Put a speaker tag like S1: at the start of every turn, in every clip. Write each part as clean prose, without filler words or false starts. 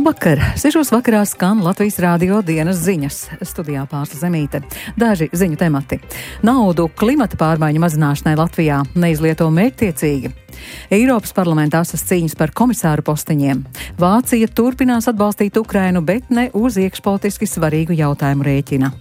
S1: Labvakar! 6. vakarā skan Latvijas Rādio dienas ziņas. Studijā Pārsla Zemīte. Daži ziņu temati. Naudu klimata pārmaiņu mazināšanai Latvijā neizlieto mērķtiecīgi. Eiropas parlamentā asas cīņas par komisāru posteņiem. Vācija turpinās atbalstīt Ukrainu, bet ne uz iekšpolitiski svarīgu jautājumu rēķina.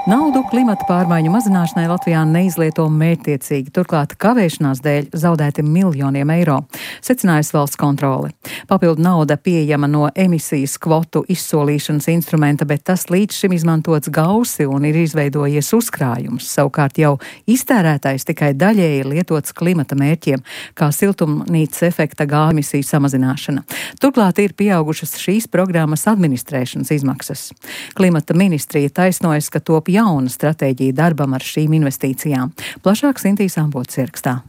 S1: Naudu klimata pārmaiņu mazināšanai Latvijā neizlieto mērķtiecīgi, turklāt kavēšanās dēļ zaudēti miljoniem eiro, secinājusi valsts kontrole. Papildu nauda pieejama no emisijas kvotu izsolīšanas instrumenta, bet tas līdz šim izmantots gausi un ir izveidojies uzkrājums. Savukārt jau iztērētais tikai daļēji lietots klimata mērķiem, kā siltumnīcas efekta gāzu emisiju samazināšana. Turklāt ir pieaugušas šīs programmas administrēšanas izmaksas. Klimata ministrija taisnojas, ka top jauna stratēģija darbam ar šīm investīcijām. Plašāk Sintīs Ambots ierakstā.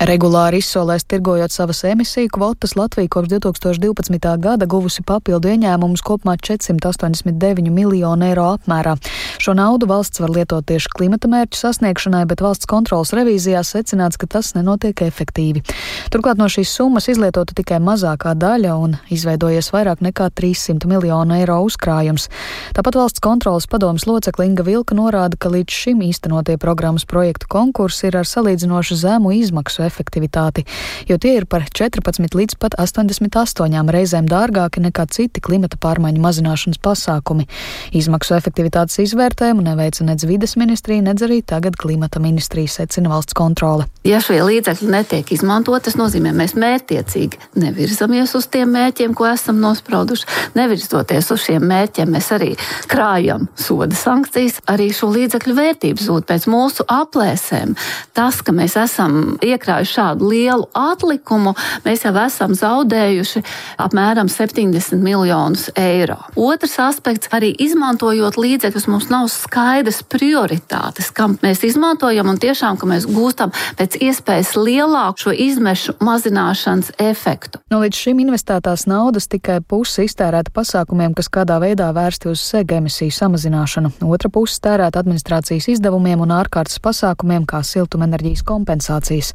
S2: Regulāri izsolēs tirgojot savas emisiju kvotas, Latvija kopš 2012. gada guvusi papildu ieņēmumus kopumā 489 miljonu eiro apmērā. Šo naudu valsts var lietot tieši klimata mērķu sasniegšanai, bet valsts kontrolas revīzijā secināts, ka tas nenotiek efektīvi. Turklāt no šīs summas izlietota tikai mazākā daļa un izveidojies vairāk nekā 300 miljonu eiro uzkrājums. Tāpat valsts kontrolas padomes locekle Inga Vilka norāda, ka līdz šim īstenotie programmas projektu konkursi ir ar salīdzinoši zemu izmaksu efektivitāti, jo tie ir par 14 līdz pat 88 reizēm dārgāki nekā citi klimata pārmaiņu mazināšanas pasākumi. Izmaksu efektivitātes izvērtējumu neveica nedz vides ministrija, nedz arī tagad klimata ministrija, secina valsts kontrole.
S3: Ja šie līdzekļi netiek izmantot, tas nozīmē, mēs mērķtiecīgi nevirzamies uz tiem mērķiem, ko esam nosprauduši. Nevirzoties uz šiem mērķiem, mēs arī krājam soda sankcijas, arī šo līdzekļu vērtību zūd pēc mūsu aplēsēm. Tas, ka mēs esam iekrājuši šādu lielu atlikumu, mēs jau esam zaudējuši apmēram 70 miljonus eiro. Otrs aspekts, arī izmantojot līdzekļus, mums nav skaidras prioritātes, kam mēs izmantojam un tiešām, ka mēs gūstam pēc iespējas lielāku šo izmešu mazināšanas efektu.
S2: No līdz šim investētās naudas tikai puse iztērēta pasākumiem, kas kādā veidā vērsti uz sega emisiju samazināšanu. Otra puse tērēta administrācijas izdevumiem un ārkārtas pasākumiem, kā siltumenerģijas kompensācijas.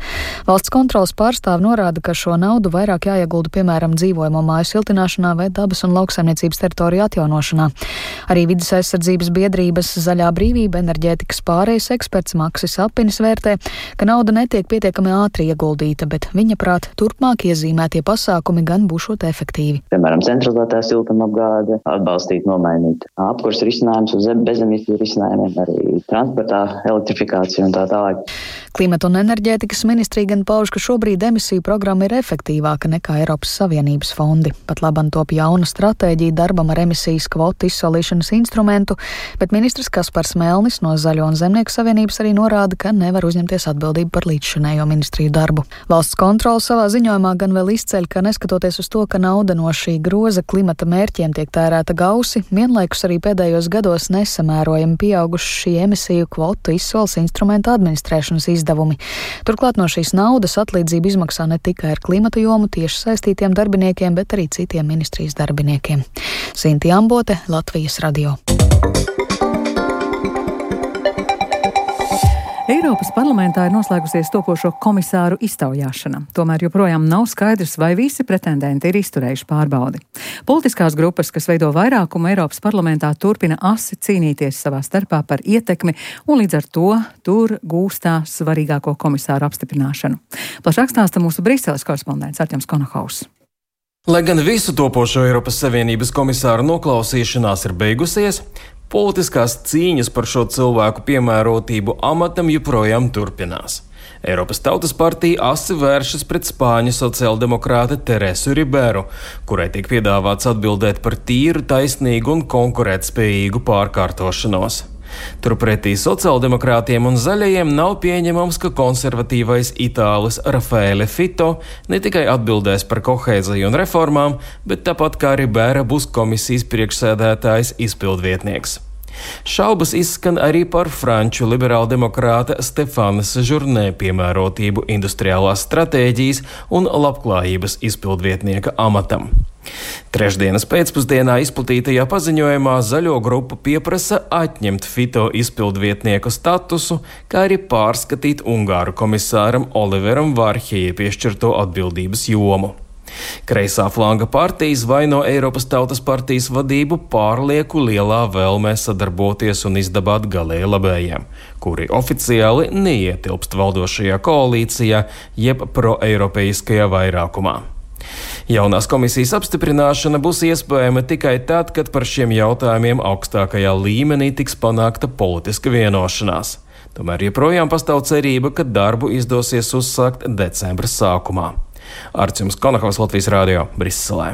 S2: Valsts kontrolas pārstāve norāda, ka šo naudu vairāk jāiegulda, piemēram, dzīvojamo māju siltināšanā vai dabas un lauksaimniecības teritoriju atjaunošanā. Arī vides aizsardzības biedrības Zaļā brīvība enerģētikas pārejas eksperts Maksis Apinis vērtē, ka nauda netiek pietiekami ātri ieguldīta, bet viņa prāt turpmāk iezīmētie pasākumi gan būšot efektīvi.
S4: Piemēram, centralizētā siltumapgāde, atbalstīt, nomainīt apkurs risinājumus uz bezemisiju risinājumiem, arī transportā elektrifikācija un tā tālāk.
S2: Klimata un enerģētikas ministrija gan pauž, ka šobrīd emisiju programma ir efektīvāka nekā Eiropas Savienības fondi. Pat labam top jauna stratēģija darbam ar emisijas kvotu izsolīšanas instrumentu, bet ministrs Kaspars Melnis no Zaļo un Zemnieku savienības arī norāda, ka nevar uzņemties atbildību par līdzšinējo ministriju darbu. Valsts kontrole savā ziņojumā gan vēl izceļ, ka neskatoties uz to, ka nauda no šī groza klimata mērķiem tiek tērēta gausi, vienlaikus arī pēdējos gados nesamērojami pieauguši šī emisiju kvotu izsoles instrumenta administrēšanas izdevumi. Turklāt no šīs naudas atlīdzību izmaksā ne tikai ar klimata jomu tieši saistītiem darbiniekiem, bet arī citiem ministrijas darbiniekiem. Sinti Ambote, Latvijas Radio.
S1: Eiropas parlamentā ir noslēgusies topošo komisāru iztaujāšana. Tomēr joprojām nav skaidrs, vai visi pretendenti ir izturējuši pārbaudi. Politiskās grupas, kas veido vairākumu Eiropas parlamentā, turpina asi cīnīties savā starpā par ietekmi un līdz ar to tur gūstā svarīgāko komisāru apstiprināšanu. Plašāk stāsta mūsu Briseles korespondents Artjoms Konohaus.
S5: Lai gan visu topošo Eiropas Savienības komisāru noklausīšanās ir beigusies, politiskās cīņas par šo cilvēku piemērotību amatam joprojām turpinās. Eiropas Tautas partija asi vēršas pret spāņu sociāldemokrāte Teresu Riberu, kurai tiek piedāvāts atbildēt par tīru, taisnīgu un konkurētspējīgu pārkārtošanos. Turpretī sociāldemokrātiem un zaļajiem nav pieņemams, ka konservatīvais itālis Raffaele Fitto ne tikai atbildēs par kohēziju un reformām, bet tāpat kā Ribera būs komisijas priekšsēdētājs izpildvietnieks. Šaubas izskan arī par franču liberāldemokrāta Stefana Sejournē piemērotību industriālās stratēģijas un labklājības izpildvietnieka amatam. Trešdienas pēcpusdienā izplatītajā paziņojumā Zaļo grupa pieprasa atņemt Fito izpildvietnieku statusu, kā arī pārskatīt Ungāru komisāram Oliveram Vārhejai piešķirto atbildības jomu. Kreisā flanga partijas vaino Eiropas Tautas partijas vadību pārlieku lielā vēlmē sadarboties un izdabāt galēji labējiem, kuri oficiāli neietilpst valdošajā koalīcijā jeb proeiropeiskajā vairākumā. Jaunās komisijas apstiprināšana būs iespējama tikai tad, kad par šiem jautājumiem augstākajā līmenī tiks panākta politiska vienošanās. Tomēr joprojām pastāv cerība, ka darbu izdosies uzsākt decembra sākumā. Arčuns Konakovs, Latvijas Rādio, Briselē.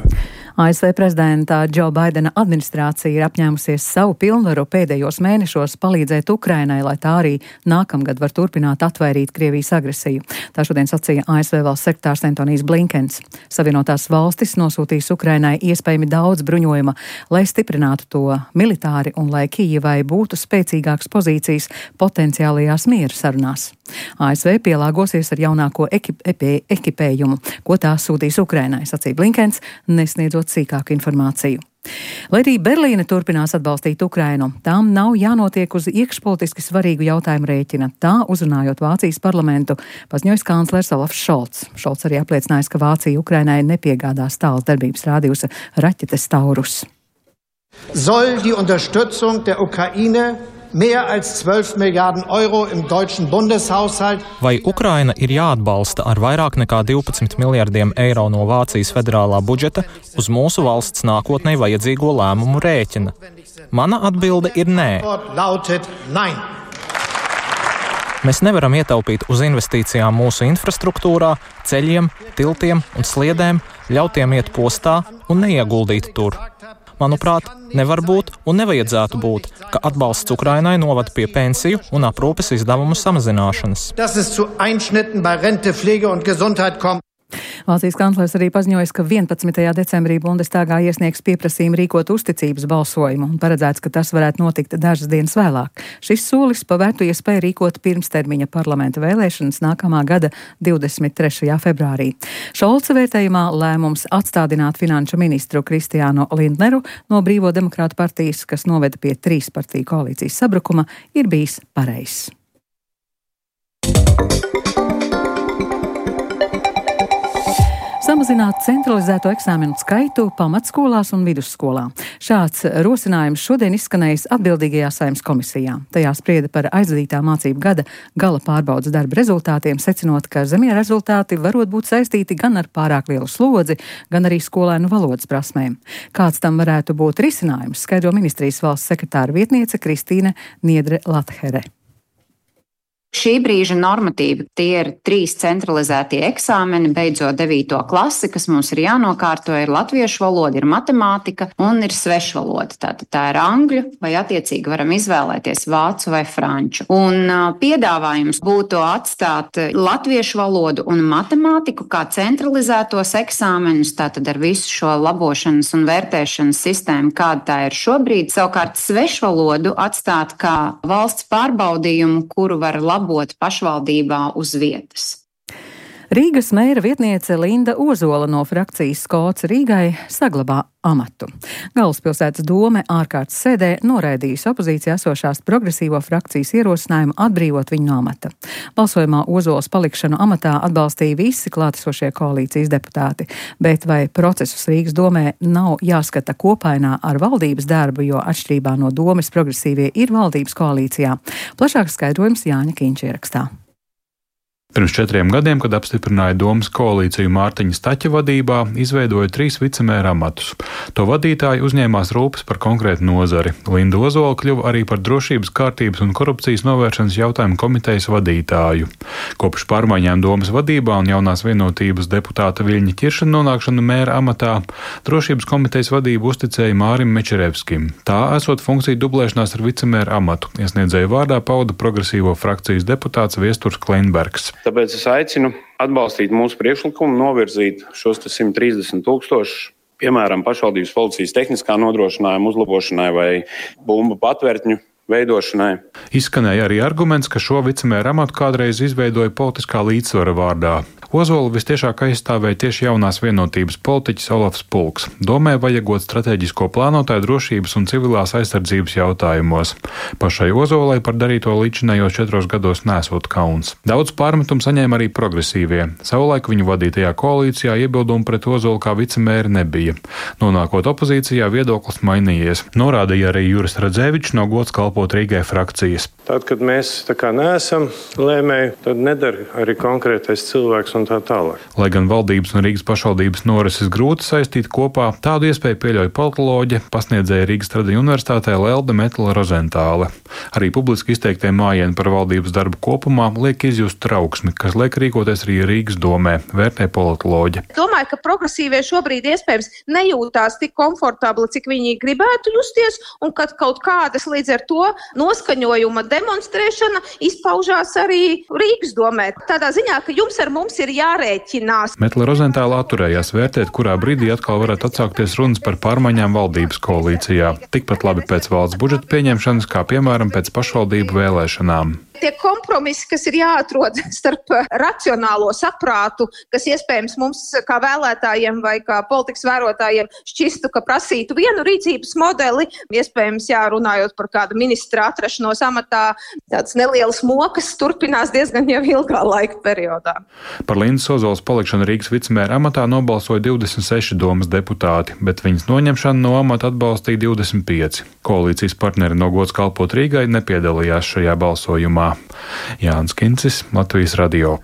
S1: ASV prezidenta Džo Baidena administrācija ir apņēmusies savu pilnvaru pēdējos mēnešos palīdzēt Ukrainai, lai tā arī nākamgad var turpināt atvairīt Krievijas agresiju. Tā šodien sacīja ASV valsts sekretārs Antonijs Blinkens. Savienotās valstis nosūtīs Ukrainai iespējami daudz bruņojuma, lai stiprinātu to militāri un lai Kijevai būtu spēcīgākas pozīcijas potenciālajās miera sarunās. ASV pielāgosies ar jaunāko ekipējumu, ko tā sūtīs Ukrainai, sacīja Blinkens, nesniedzot sīkāku informāciju. Lai arī Berlīne turpinās atbalstīt Ukrainu, tām nav jānotiek uz iekšpolitiski svarīgu jautājumu rēķina. Tā, uzrunājot Vācijas parlamentu, paziņoja kanclers Olafs Šolts. Šolts arī apliecinājis, ka Vācija Ukrainai nepiegādās tāls darbības rādījusa raķetes Taurus.
S6: Soll die Unterstützung der Ukraine mehr als 12 Milliarden Euro im deutschen Bundeshaushalt.
S7: Vai Ukraina ir jāatbalsta ar vairāk nekā 12 miljardiem eiro no Vācijas federālā budžeta uz mūsu valsts nākotnē vajadzīgo lēmumu rēķina? Mana atbilde ir nē. Mēs nevaram ietaupīt uz investīcijām mūsu infrastruktūrā, ceļiem, tiltiem un sliedēm, ļautiem iet postā un neieguldīt tur. Manuprāt, nevar būt un nevajadzētu būt, ka atbalsts Ukrainai novad pie pensiju un aprūpes izdevumu samazināšanas.
S1: Vācijas kanclers arī paziņoja, ka 11. decembrī Bundestagā iesniegs pieprasījumu rīkot uzticības balsojumu un paredzēts, ka tas varētu notikt dažas dienas vēlāk. Šis solis pavērtu iespēju rīkot pirmstermiņa parlamenta vēlēšanas nākamā gada 23. februārī. Šolca vērtējumā lēmums atstādināt finanšu ministru Kristiānu Lindneru no Brīvo demokrātu partijas, kas noveda pie 3 partiju koalīcijas sabrukuma, ir bijis pareizs. Samazināt centralizēto eksāmenu skaitu pamatskolās un vidusskolā. Šāds rosinājums šodien izskanējis atbildīgajā Saeimas komisijā. Tajā sprieda par aizvadītā mācību gada gala pārbaudas darba rezultātiem, secinot, ka zemie rezultāti varot būt saistīti gan ar pārāk lielu slodzi, gan arī skolēnu valodas prasmēm. Kāds tam varētu būt risinājums, skaidro ministrijas valsts sekretāra vietniece Kristīne Niedre-Lathere.
S8: Šī brīža normatīvi tie ir 3 centralizētie eksāmeni, beidzot 9. klasi, kas mums ir jānokārto, ir latviešu valoda, ir matemātika un ir svešvaloda. Tātad tā ir angļu vai attiecīgi varam izvēlēties vācu vai franču. Un piedāvājums būtu atstāt latviešu valodu un matemātiku kā centralizētos eksāmenus, tātad ar visu šo labošanas un vērtēšanas sistēmu, kāda tā ir šobrīd. Savukārt svešvalodu atstāt kā valsts pārbaudījumu, kuru var labot pašvaldībā uz vietas.
S1: Rīgas mēra vietniece Linda Ozola no frakcijas Skots Rīgai saglabā amatu. Galvaspilsētas dome ārkārtas sēdē noraidījis opozīcijā esošās progresīvo frakcijas ierosinājumu atbrīvot viņu no amata. Balsojumā Ozolas palikšanu amatā atbalstīja visi klātesošie koalīcijas deputāti, bet vai procesus Rīgas domē nav jāskata kopainā ar valdības darbu, jo atšķirībā no domes progresīvie ir valdības koalīcijā? Plašāks skaidrojums Jāņa Kīņš ierakstā.
S9: Pirms 4 gadiem, kad apstiprināja domas koalīciju Mārtiņa Staķa vadībā, izveidoja 3 vicemēra amatus. To vadītāji uzņēmās rūpes par konkrētu nozari. Linda Ozola kļuva arī par drošības, kārtības un korupcijas novēršanas jautājumu komitejas vadītāju. Kopš pārmaiņām domas vadībā un jaunās vienotības deputāta Viļņa Ķirša nonākšanu mēra amatā, drošības komitejas vadību uzticēja Mārim Mečerevskim. Tā esot funkcija dublēšanās ar vicemēra amatu, iesniedzēju vārdā pauda progresīvo frakcijas deputāts Viesturs Kleinbergs.
S10: Tāpēc es aicinu atbalstīt mūsu priekšlikumu, novirzīt šos 130 000 piemēram, pašvaldības policijas tehniskā nodrošinājuma uzlabošanai vai bumbu patvērtņu veidošanai.
S9: Izskanēja arī arguments, ka šo vicemēra amatu kādreiz izveidoja politiskā līdzsvara vārdā. Ozolu vistiešāk aizstāvēja tieši jaunās vienotības politiķis Olafs Pulks. Domē vajagot strateģisko plānotāju drošības un civilās aizsardzības jautājumos. Pašai Ozolai par darīto līdzinējos 4 gados nesot kauns. Daudz pārmetumu saņēma arī progresīvie. Savulaik viņu vadītajā koalīcijā iebildumu pret Ozolu kā vicemēri nebija. Nonākot opozīcijā, viedoklis mainījies. Norādīja arī Juris Radzevičs no Gods kalpot Rīgai frakcijas.
S11: Tad, kad mēs tā kā neesam lēmēji, tad nedara arī konkrētais cilvēks un tā tālāk.
S9: Lai gan valdības un Rīgas pašvaldības norises grūti saistīt kopā, tādu iespēju pieļauj politoloģe, pasniedzēja Rīgas Tradiņu universitātē Lelde Metla Rozentāle. Arī publiski izteiktie mājieni par valdības darbu kopumā liek izjust trauksmi, kas liek rīkoties arī Rīgas domē, vērtē politoloģe.
S12: Domāju, ka progresīvie šobrīd iespējams nejūtās tik komfortabli, cik viņi gribētu justies, un kad kaut kādas līdz ar to noskaņojuma demonstrēšana izpaužās arī Rīgas domē. Tādā ziņā, ka jums ar mums ir jārēķinās.
S9: Metla Rozentāla atturējās vērtēt, kurā brīdī atkal varētu atsākties runas par pārmaiņām valdības koalīcijā. Tikpat labi pēc valsts budžeta pieņemšanas, kā piemēram pēc pašvaldību vēlēšanām.
S12: Tie kompromisi, kas ir jāatrod starp racionālo saprātu, kas iespējams mums kā vēlētājiem vai kā politikas vērotājiem šķistu, ka prasītu vienu rīcības modeli, iespējams runājot par kādu ministra atrašanos amatā, tāds nelielas mokas turpinās diezgan jau ilgā laika periodā.
S9: Par Lindas Ozolas palikšanu Rīgas vicemēra amatā nobalsoja 26 domas deputāti, bet viņas noņemšanu no amata atbalstīja 25. Koalīcijas partneri no Gods kalpot Rīgai nepiedalījās šajā balsojumā. Jānis Kincis, Latvijas radio.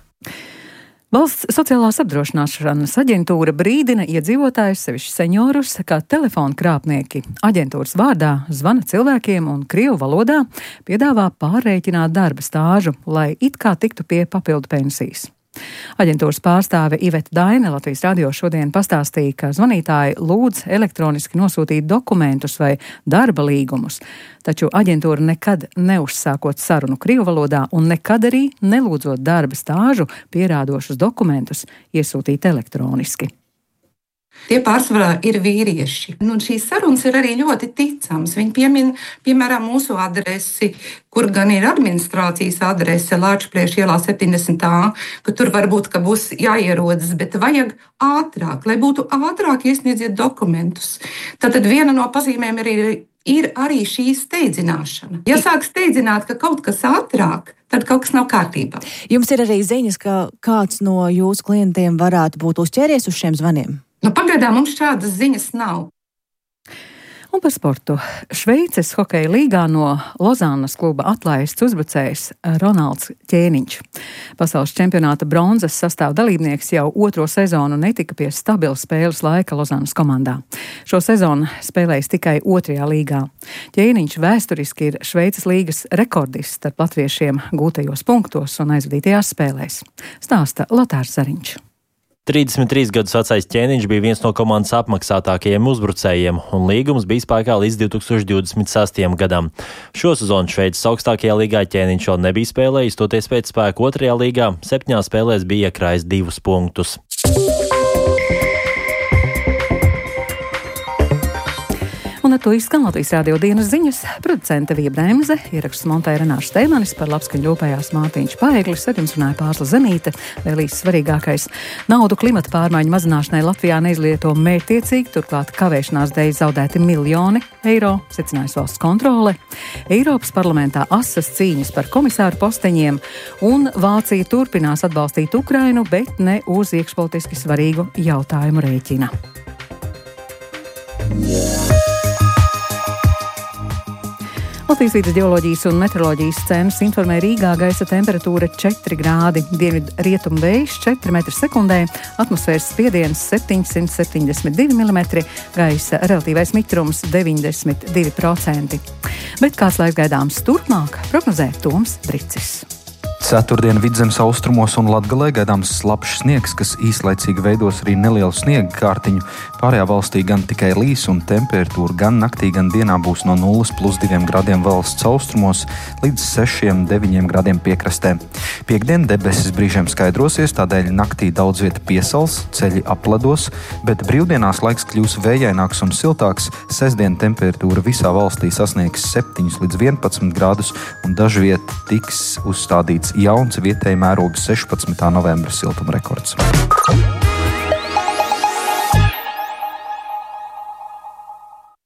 S1: Valsts sociālās apdrošināšanas aģentūra brīdina iedzīvotājus, sevišķi seniorus, ka telefona krāpnieki aģentūras vārdā zvana cilvēkiem un krievu valodā piedāvā pārrēķināt darba stāžu, lai it kā tiktu pie papildu pensijas. Aģentūras pārstāve Iveta Daine Latvijas radio šodien pastāstīja, ka zvanītāji lūdz elektroniski nosūtīt dokumentus vai darba līgumus, taču aģentūra nekad neuzsākot sarunu krievu valodā un nekad arī nelūdzot darba stāžu pierādošus dokumentus iesūtīt elektroniski.
S13: Tie pārsvarā ir vīrieši. Šīs sarunas ir arī ļoti ticamas. Viņi piemin, piemēram, mūsu adresi, kur gan ir administrācijas adrese Lāčplieša ielā 70A, ka tur varbūt, ka būs jāierodas, bet vajag ātrāk, lai būtu ātrāk iesniedziet dokumentus. Tātad viena no pazīmēm ir arī šī steidzināšana. Ja sāk steidzināt, ka kaut kas ātrāk, tad kaut kas nav kārtībā.
S14: Jums ir arī ziņas, ka kāds no jūsu klientiem varētu būt uzķēries uz šiem zvaniem?
S13: Pagaidām mums šādas ziņas nav.
S1: Un par sportu. Šveices hokeja līgā no Lozānas kluba atlaists uzbrucējs Ronalds Ķēniņš. Pasaules čempionāta bronzas sastāv dalībnieks jau 2. sezonu netika pie stabila spēles laika Lozānas komandā. Šo sezonu spēlējis tikai 2. līgā. Ķēniņš vēsturiski ir Šveices līgas rekordists starp latviešiem gūtajos punktos un aizvadītajās spēlēs. Stāsta Lotārs Zariņš.
S15: 33 gadus vecais Ķēniņš bija viens no komandas apmaksātākajiem uzbrucējiem, un līgums bija spēkā līdz 2026. gadam. Šo sezonu Šveices augstākajā līgā Ķēniņš vēl nebija spēlējis, toties pēc spēka 2. līgā 7 spēlēs bija iekrājis 2 punktus.
S1: Un ar to izskan Latvijas radio dienas ziņas. Producente Vija Bremze, ieraksts montēja Renāša Steimanis, par labskaņu ļopējās Mārtiņš Paeglis, ar jums runāja Pārsla Zenīte. Vēl īsti svarīgākais. Naudu klimata pārmaiņu mazināšanai Latvijā neizlieto mērķtiecīgi, turklāt kavēšanās dēļ zaudēti miljoni eiro, secinājas valsts kontrole. Eiropas parlamentā asas cīņas par komisāru posteņiem, un Vācija turpinās atbalstīt Ukrainu, bet ne uz iekšpolitiski svarīgu jautājumu rēķina. Latvijas vides geoloģijas un meteoroloģijas centrs informē Rīgā gaisa temperatūra 4 grādi, dienvidu rietumu vējš 4 metri sekundē, atmosfēras spiediens 772 mm, gaisa relatīvais mitrums 92%. Bet kāds laiks gaidāms turpmāk, prognozē Toms Bricis.
S16: Ceturtdien Vidzemes austrumos un Latgalē gaidāms slapjš sniegs, kas īslaicīgi veidos arī nelielu sniega kārtiņu. Pārējā valstī gan tikai līs un temperatūra gan naktī, gan dienā būs no 0+2 gradiem valsts austrumos līdz 6–9 gradiem piekrastē. Piektdien debesis brīžiem skaidrosies, tādēļ naktī daudz vieta piesals, ceļi apledos, bet brīvdienās laiks kļūs vējaināks un siltāks. Sestdien temperatūra visā valstī sasniegs 7–11 grādus un dažviet tiks uzstādīts jauns vietēji mēroga 16. novembra siltuma rekords.